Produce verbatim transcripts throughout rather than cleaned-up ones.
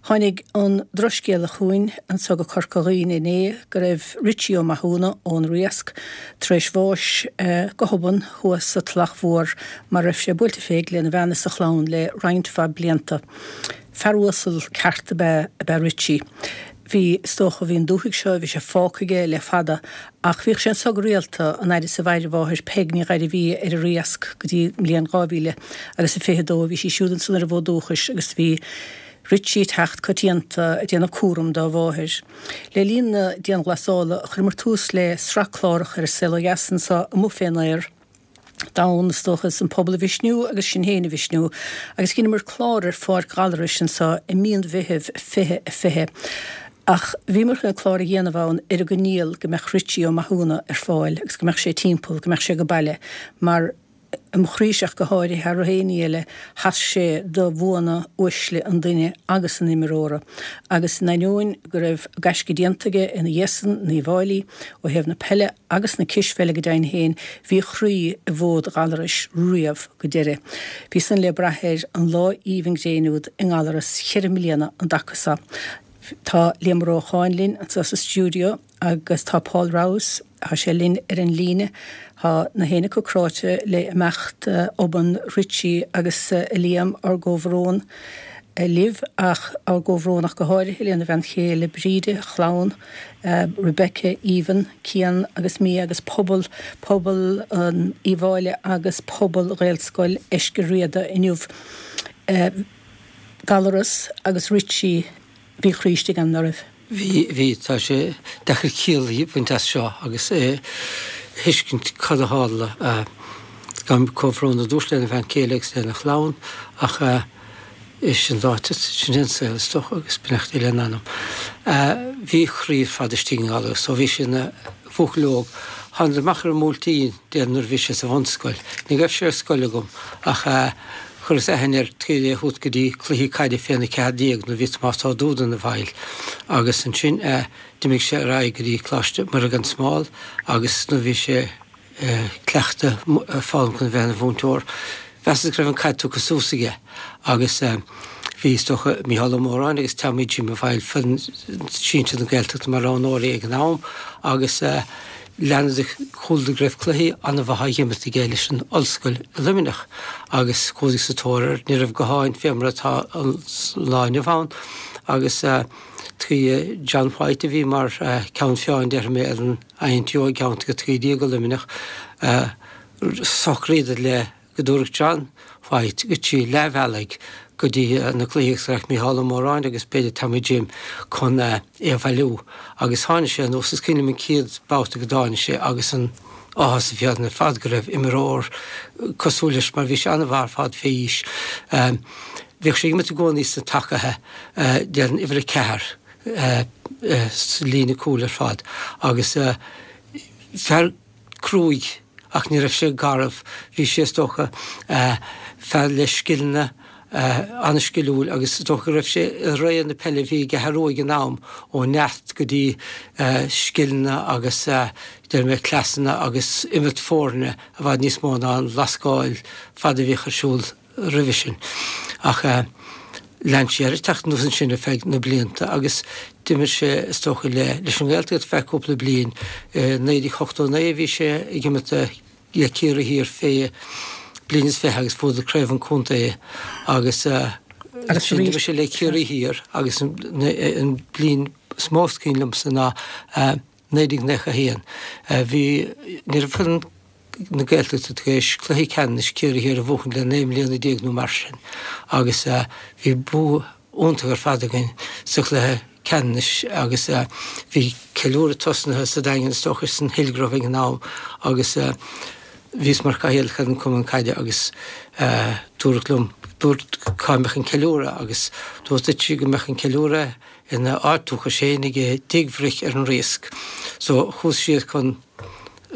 Tháinig an drochscéala chugainn anseo go Corca Dhuibhne inné go raibh Richie Ó Mathúna ón Riasc tar éis bháis go hobann thuas sa Tulach Mhór mar raibh sé buailte féig lena bhean is a chlann le roinnt mhaith blianta. Fear uasal ceart ab ea ab ea Richie. Bhí, is dócha, bhí an dúthaigh seo, bhí sé fágtha aige le fada ach bhíodh sé anseo go rialta an fhaid is a mhair a mháthair Peig Ní Ghairbhí ar an Riasc go dtí an mbliain dhá mhíle agus a fiche dó. Bhí sí siúd ansan ar an bhfód dúchais agus bhí Richie ag teacht coitianta ag déanamh cúram dá mháthair. Le linn na dianghlasála chuireamar tús le sraith clárach ar An Saol Ó Dheas anseo amuigh fén aer, d'fhonn, is dócha, is an pobal a mhisniú agus sinn féin a mhisniú, agus dheineamar clár ar Pháirc Ghallarais anseo i mí an Mheithimh fiche a fiche. Ach bhíomar chun an clár a dhéanamh ann ar an gcoinníoll go mbeadh Richie Ó Mathúna ar fáil agus go mbeadh sé timpeall, go mbeadh sé go baile, mar i mo chroíse ach go háirithe thar aon ní eile, sheas sé do bhuanna uaisle an duine agus an imreora. Agus in ainneoin go raibh gaisce déanta aige ina dhiaidh san in Uíbh Fháilí, ó thaobh na peile agus na cispheile go deimhin féin, bhí a chroí i bhfód Ghallarais riamh go deireadh. Bhí san le brath air an lá aoibhinn gréine úd i nGallaras cheithre mbliana an dtaca so. Tá Liam Ó Rócháin linn anseo sa stiúideo agus tá Paul Rouse, tá sé linn ar an líne. Tá na héinne acu cráite le imeacht obann Richie agus a Liam, ár gcomhbhrón libh ach ár gcomhbhrón ach go háirithe lena bhean chéile Bríde, a chlann, Rebecca, Aoibheann, Cian agus Mia agus pobal, pobal Uíbh Fháilí agus pobal Ghaelscoil Eiscir Riada inniu. Gallaras agus Richie, bhí a chroí istigh ann, ná raibh? Bhí, bhí. Tá sé deacair ciall a bhaint as seo agus a thuiscint cad a tharla. Gabhaim comhbhrón ar dtús lena bhean chéile agus lena chlann ach sin ráite, sin é an saol is dócha agus beannacht Dé lena anam. Bhí a chroí ar fad istigh i nGallaras ó bhí sé ina bhuachaill óg. Thánadar amach ar an mBuailtín, déarfainn, nuair a bhí sé sa bhunscoil. Ní raibh sé ar scoil agam ach chuireas aithne air taobh le thabhairt go dtí cluichí caide féna ceathair déag nuair a bhí Tomás Ó Dúda ina bhall agus ansin d'imigh sé ar aghaidh go dtí Coláiste Muire gan Smál agus nuair a bhí sé cleachtadh foghlaim chun a bheith ina mhúinteoir mheasas go raibh an caid tugtha suas aige agus bhí is dócha Mícheál Ó Móráin agus Tommy Jim i bhfeighil foireann sinsir na Gaeltachta mar roghnóirí ag an am agus leanadar chualadar go raibh cluichí an-mhaith á dh'imirt aige leis an ollscoil i Luimneach agus chuadar sa tóir air. Ní raibh gutháin fé mar atá an lá inniu ann agus trí John White a bhí mar cheann feadhain déarfaidh mé ar an I N T U i gceantar a trí déag i Luimneach socraíodar le go dtabharfadh John White Richie leath bealaigh go dtí na cluichí agus go rachadh Mícheál Ó Móráin agus b'fhéidir Tommy Jim chun é a bhailiú. Agus tháinig sé anuas, is cuimhin liom an chéad babhta go dtáinig sé agus an áthas a bhí orainn ar fad go raibh imreoir cosúil leis mar bhí sé an-mhaith ar fad fé aois. Bhíodh sé ag imirt i gcónaí sna tacaithe, déarfainn uimhir a ceathair sa líne cúil ar fad agus fear cruaidh ach ní raibh sé garbh. Bhí sé, is dócha, fear le scileanna, an-sciliúil agus is dócha go raibh sé i ré na peile a bhí i gCeathrú Rua ag an am, ó neart go dtí scileanna agus, déarfaidh mé, cleasanna agus imirt foirne i bhfad níos mó ná an lascáil fada a bhíodh ar siúl. roimhe sin. Ach lean sé air ag teacht anuas ansin ar feadh na blianta agus d'imir sé, is dócha, le leis an nGaeltacht ar feadh cúpla bliain. I naoi déag ochtó naoi bhí sé ag imirt le Ciarraí Thiar fé bliain is fiche agus bhuadar craobh an chontae agus ansin d'imir sé le Ciarraí Thiar agus an bliain is mó is cuimhin liomsa ná naoi déag nócha a haon. Bhí, ní raibh foireann na Gaeltachta tar éis cluiche ceannais Ciarraí Thiar a bhuachan le naoi mbliana déag nó mar sin agus bhí bua iontach ar fad againn sa chluiche ceannais agus bhí ceiliúradh tosnaithe sa Daingean is dócha san Hillgrove ag an am agus bhíos mar chathaoirleach ar an Cumann Caide agus dúradh liom, dúirt cá mbeadh an ceiliúradh agus dúirt Richie go mbeadh an ceiliúradh ina áit dúchais féin i dTigh Bhric ar an Riasc. So chuas siar chun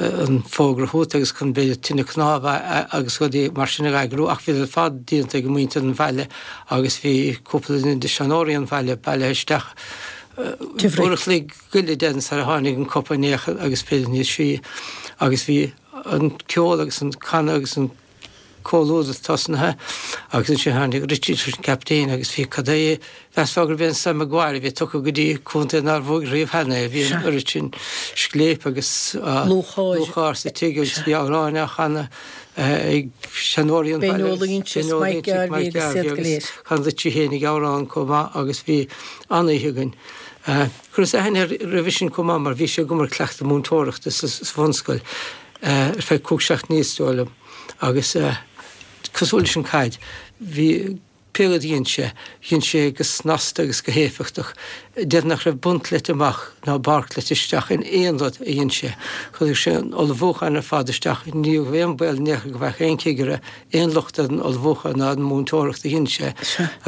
an fógra a thabhairt agus chun b'fhéidir tine cnámh agus rudaí mar sin a eagrú ach bhí ar fad déanta ag muintir an bhaile agus bhí cúpla duine de seanóirí an bhaile bailithe isteach uair a chloig go leith déarfainn sar a tháinig an copa in aon chor agus b'fhéidir níos sia agus bhí an ceol agus an canadh agus an comhluadar tosnaithe agus ansin tháinig Richie tar éis an captaen agus bhí cad é mheasfá gurbh é an Sam Maguire a bhí tugtha go dtí contae nár bhuaigh riamh cheana é. Bhí an oiread sin scléip agus lúcháir sa tigh agus bhí amhráin á chanadh ag seanóirí an bhaile. Ben Ó Loingsigh is Mike Garvey agus iad go léir. Chan Richie féinig amhrán chomh maith agus bhí an-oíche againn. Chuireas aithne air roimhe sin chomh maith mar bhí sé agam ar cleachtadh múinteoireachta sa bhunscoil ar feadh cúig seachtainí is dóigh liom agus cosúil leis an caid bhí pé rud a dhein sé, dhein sé go snasta agus go héifeachtach. Déarfainn nach raibh punt leite amach ná barc leite isteach in aon rud a dhein sé. Chuir sé an ullmhúchán ar fad isteach, ní raibh aon baol in aon chor go bhfaigheadh aon chigire aon locht ar an ullmhúchán ná an mhúinteoireacht a dhein sé.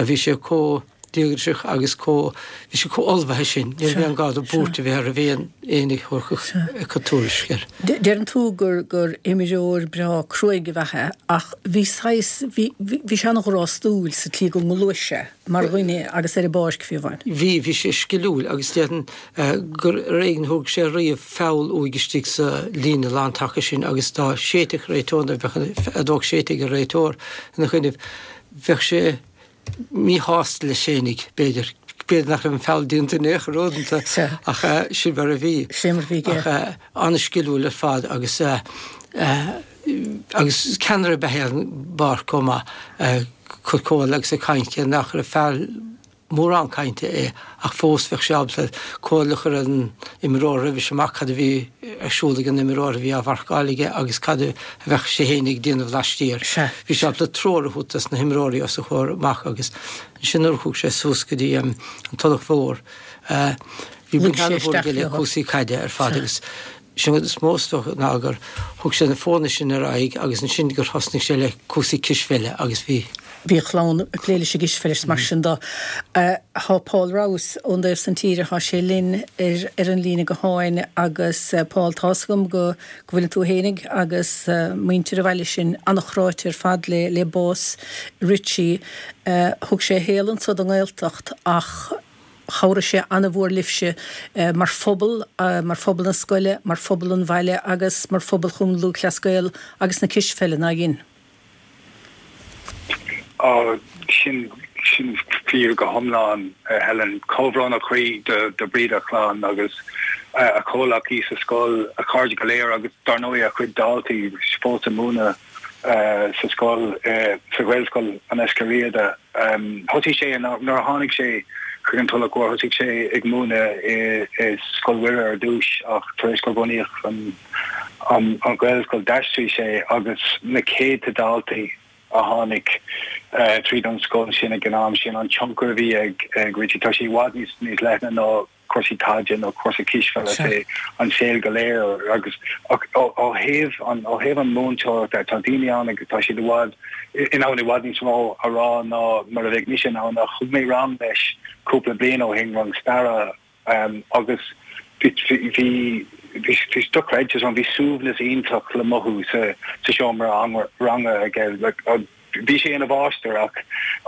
Bhí sé chomh díograiseach agus chomh, bhí sé chomh ullmhaithe sin, ní raibh aon ghá do buairt a bheith air roimh aon éinne a thabharfadh tuairisc air. Deireann tú gur gur imreoir breá cruaidh ab ea é ach bhí saghas, bhí, bhí sé an-ghrástúil sa tslí go ngluais sé mar dhuine agus ar an bpáirc fiú amháin. Bhí, bhí sé sciliúil agus déarfainn gur ar éigean a thóg sé riamh feall uaidh istigh sa líne lántaca sin agus dá séidfeadh réiteoir, nó bheadh an fheadóg séidte ag an réiteoir ina choinnibh, bheadh sé míshásta leis fhéinig, b'fhéidir. B'fhéidir nach raibh an feall déanta in aon chor uaireanta, ach sin mar a bhí. Sin mar a bhí, Ach an-sciliúil ar fad agus agus ceannaire ab ea é ar an bpáirc chomh maith, ag cur comhairle agus ag caint, cé nach raibh fear mórán cainte é ach fós bheadh sé ábalta comhairle a chur ar an imreoir roimhis amach cad a bhí ar siúl ag an imreoir a bhí á mharcáil aige agus cad a bheadh sé féin ag déanamh laistiar. Bhí sé ábalta treoir a thabhairt dos na himreoirí os a chomhair amach agus ansin nuair a chuaigh sé suas go dtí an Tulach Mhór bhí baint an-mhór aige le cúrsaí caide ar fad agus Sin rud is mó is dócha ná gur thug sé na foirne sin ar aghaidh agus ansin gur thosnaigh sé le cúrsaí cispheile agus bhí. Bhí a chlann ag plé leis an gcispheil is mar sin de. Tá Paul Rouse ón dtaobh san tíre, tá sé linn ar ar an líne gutháin agus Paul tá's agam go go bhfuileann tú fhéinig agus muintir an bhaile sin an-chráite ar fad le le bás Richie. Thug sé a shaol anso don nGaeltacht ach Chabhraigh sé an-mhór libhse mar phobal, mar phobal na scoile, mar phobal an bhaile agus mar phobal Chumann Lúthchleas Gael agus na cispheile, nár dhein? Á, sin, sin fíor go hiomlán, a Helen. Comhbhrón ó chroí do, do Bríd, a chlann agus a chomhleacaí sa scoil, a chairde go léir agus dar ndóigh a chuid daltaí fós ag múineadh sa scoil, sa Ghaelscoil An Eiscir Riada. Thosaigh sé, nuair a tháinig sé chuig an Tulach Mhór, thosaigh sé ag múineadh i Scoil Mhuire ar dtús ach tar éis gur bunaíodh an Ghaelscoil d'aistrigh sé agus na céadta daltaí a tháinig tríd an scoil sin ag an am sin, an tionchar a bhí ag Richie, tá sé i bhfad níos leithne ná cúrsaí caide nó cúrsaí cispheile, sé an saol go léir agus ó thaobh an ó thaobh an múinteoireachta tá daoine ann agus tá siad i bhfad in ann i bhfad níos mó a rá ná mar a bheadh mise in ann ach thug mé rang leis cúpla bliain ó shin, rang staire agus bhí bhí bhí bhí dochreidte ann, bhí suaimhneas iontach le mothú sa sa seomra ranga aige like bhí sé ina mháistir ach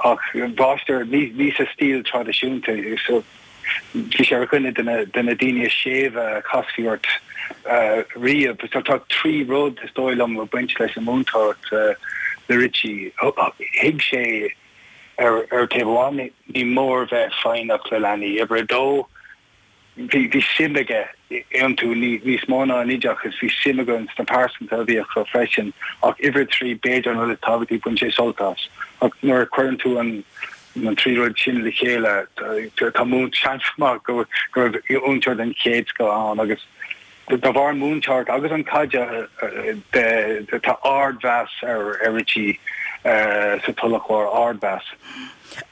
ach mháistir ní ní sa stíl traidisiúnta so bhí sé ar dhuine de na de na daoine is séimhe a chasfaí ort riamh. So tá trí rud is dóigh liom ag baint leis an múinteoireacht le Richie. Thuig sé ar ar taobh amháin ní mór bheith foighneach le leanaí. Uimhir a dó bhí bhí suim aige iontu níos mó ná in oideachas, bhí suim aige sna pearsanta a bhí acu freisin. Ach uimhir a trí, b'fhéidir an rud is tábhachtaí, bhain sé sult as. Ach nuair a chuireann tú an na trí rud sin le chéile, tá seans maith go raibh múinteoir den chéad scoth ann agus de bharr an múinteoireacht agus an caide de tá ardmheas ar Richie sa Tulach Mhór, ardmheas.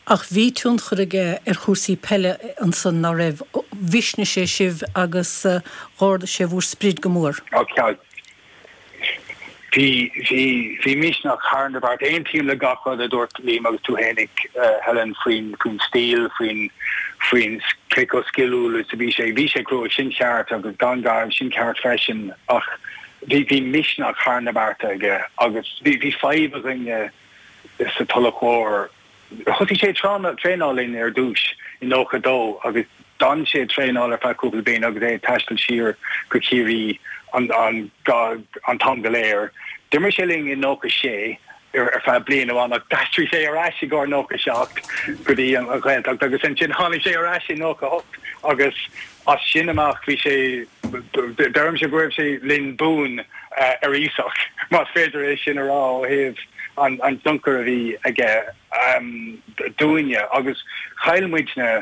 Ach bhí tionchar aige ar chúrsaí peile ansan, ná raibh? Mhisnigh sé sibh agus dh'ardaigh sé bhúr sprid go mór. Bhí, bhí, bhí misneach thar na bearta. Aontaím le gach rud a dúirt Liam agus tú fhéinig, Helen, faoin, faoin stíl, faoin, faoin cé chomh sciliúil is a bhí sé. Bhí sé cruaidh, sin ceart, agus garbh, sin ceart freisin, ach bhí, bhí misneach thar na bearta aige agus bhí, bhí fadhb againne sa Tulach Mhór. Thosaigh sé ag traenáil linn ar dtús i nócha dó agus d'fhan sé ag traenáil ar feadh cúpla bliain agus é ag taisteal siar go Ciarraí an an t-am go léir. D'imir sé linn i nócha sé ar feadh bliain amháin ach d'aistrigh sé ar ais i gcomhair nócha seacht go dtí an Ghaeltacht agus ansin tháinig sé ar ais i nócha hocht agus as sin amach bhí sé deirimse go raibh sé linn buan ar iasacht más féidir é sin a rá ó thaobh an an tionchar a bhí aige dúinne agus chaill muidne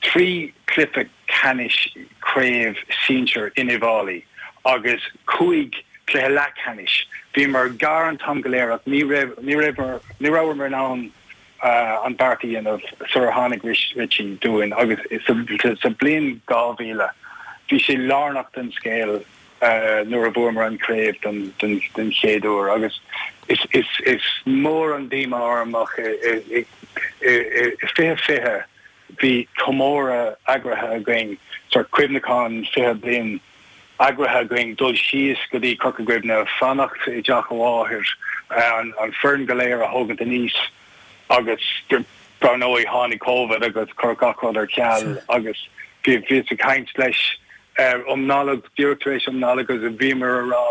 trí chluiche ceannais craobh sinsir in Uíbh Fhailí agus cúig chluiche leathcheannais. Bhíomar gar an t-am go léir ach ní raibh ní raibh ní rabhamar in ann an beart a dhéanamh sular tháinig Richie dúinn agus sa bliain dhá mhíle bhí sé lárnach don scéal nuair a bhuamar an chraobh den den chéad uair agus is is is mór an díomá orm ach i fiche fiche bhí comóradh eagraithe againn, sórt cuimhneachán fiche bliain eagraithe againn, dul síos go dtí Corca Dhuibhne, fanacht i dteach a mháthair, an foireann go léir a thógaint aníos agus dar ndóigh tháinig Covid agus chuir gach rud ar ceal agus bhíos ag caint leis um Nollaig, díreach tar éis um Nollaig agus bhíomar a rá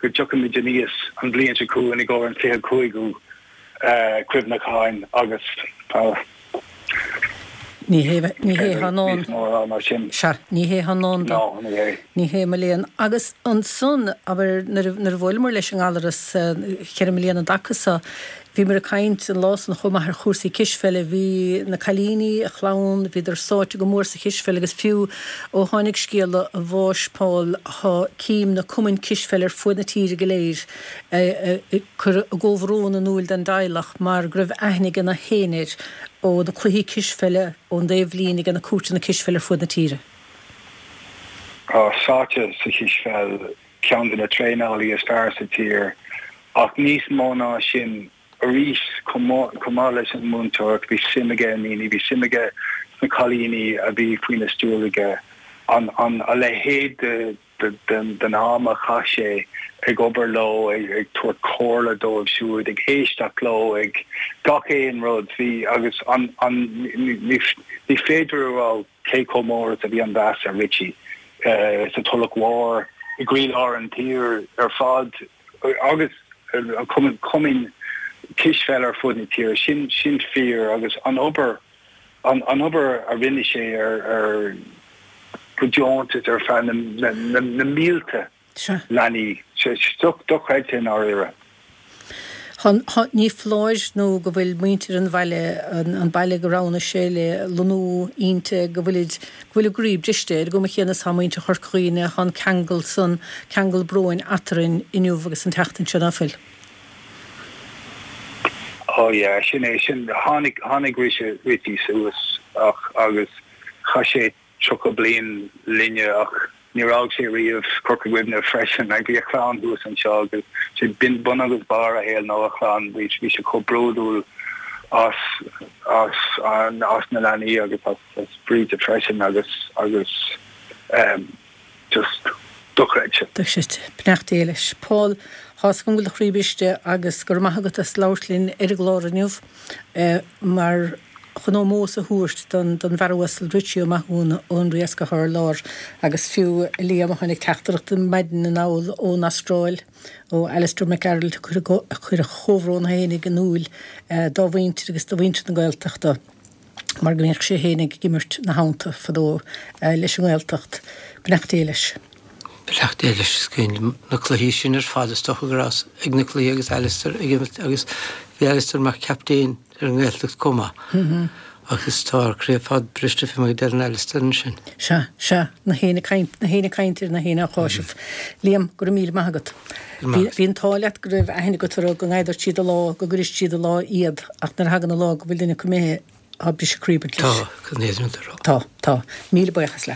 go dtiocfaimid aníos an bhliain seo chugainn i gcomhair an fiche cúigiú cuimhneacháin agus tá Ní hé ní hé thá ndán. Níos mó a rá ná sin. Sea, ní hé thá ndán dó. Ná, ní hé. Ní hé mo léan. Agus ansan, abair, nuair a nuair a bhuaileamar leis an nGallaras ceithre mbliana an dtaca so, bhíomar ag caint an lá san chomh maith ar chúrsaí cispheile. Bhí na cailíní, a chlann, bhíodar sáite go mór sa chispheil agus fiú ó tháinig scéala a bháis Paul, thá cím na cumainn cispheile ar fuaid na tíre go léir ag cur a gcomhbhrón in úil don dteaghlach mar go raibh aithne ag na héinne air ó na cluichí cispheile ón dtaobhlíne ag na cúirteanna cispheile ar fuaid na tíre. Tá sáite sa chispheil, ceann de na traenálaí is fearr sa tír, ach níos mó ná sin arís, chomh maith leis an múinteoireacht, bhí suim aige i ndaoine, bhí suim aige sna cailíní a bhí faoina stiúir aige, an a leithéid de den am a chaith sé ag obair leo, ag tabhairt comhairle dóibh siúd, ag éisteacht leo, ag gach aon rud. Bhí, agus an, an, ní féidir a rá cé chomh mór is a bhí an mheas ar Richie sa Tulach Mhór, i gcroílár an tír ar fad agus an cumann, cumainn cispheile ar fud na tíre. Sin, sin fíor agus an obair, an obair a rinne sé ar, ar, go deontas ar feadh na mílte leanaí. Dochreidte i ndáiríre. Ní foláir nó go bhfuil muintir an bhaile, an baile go roghnaigh sé le lonnú inti, go bhfuilid, go bhfuil a gcroí briste. Ar an gcuma chéanna is tá muintir Chorca Dhuibhne, tá an ceangal san, ceangal bróin eatarthu inniu agus an tseachtain seo, ná fuil? Oh yeah, sin é, sin, tháinig, tháinig Richie suas ach, agus chaith sé tríocha bliain linne ach níor fhág sé riamh Corca Dhuibhne freisin. Like, bhí a chlann thuas anseo agus sé b'in bun agus barr a shaoil ná a chlann. Bhí bhí sé chomh bródúil as as an as na leanaí agus as as Bríde freisin agus agus um, just dochreidte. Dochreidte. Beannacht Dé leis. Paul, Tá's agam go bhfuil do chroí briste agus go raibh maith agat as labhairt linn ar an gclár inniu mar chun ómós a thabhairt don don bhfear uasal Richie Ó Mathúna ón Riasc atá ar lár agus fiú a Liam a tháinig teachtaireacht maidin anall ón Astráil ó Alistair Mac Gearailt a chuir a chomhbhrón fhéinig in iúil dá mhuintir agus do mhuintir na Gaeltachta mar go mbíodh sé fhéinig ag imirt ina theannta fadó leis an nGaeltacht. Beannacht Dé leis. Beannacht Dé leis. Is cuimhin liom na cluichí sin ar fad is dócha go rabhas ag na cluichí agus Alistair ag imirt agus bhí Alistair mar chaptaen ar an nGaeltacht chomh maith. Agus tá ár gcroí ar fad briste fé mar a deireann Alistair ansin. Sea, sea, na héinne ag caint, na héinne ag caint ar na héinne á cháiseamh. Liam, go raibh míle maith agat. Bhí, bhí an t-ádh leat go raibh aithne agat orthu, go ngadhairt siad a lá, go gcuireann siad a lá iad, ach nuair a thagann an lá go bhfuil duine acu imithe, tá briseadh croí ag baint leis. Tá, go n-éireann Tá, tá. Míle buíochas leat.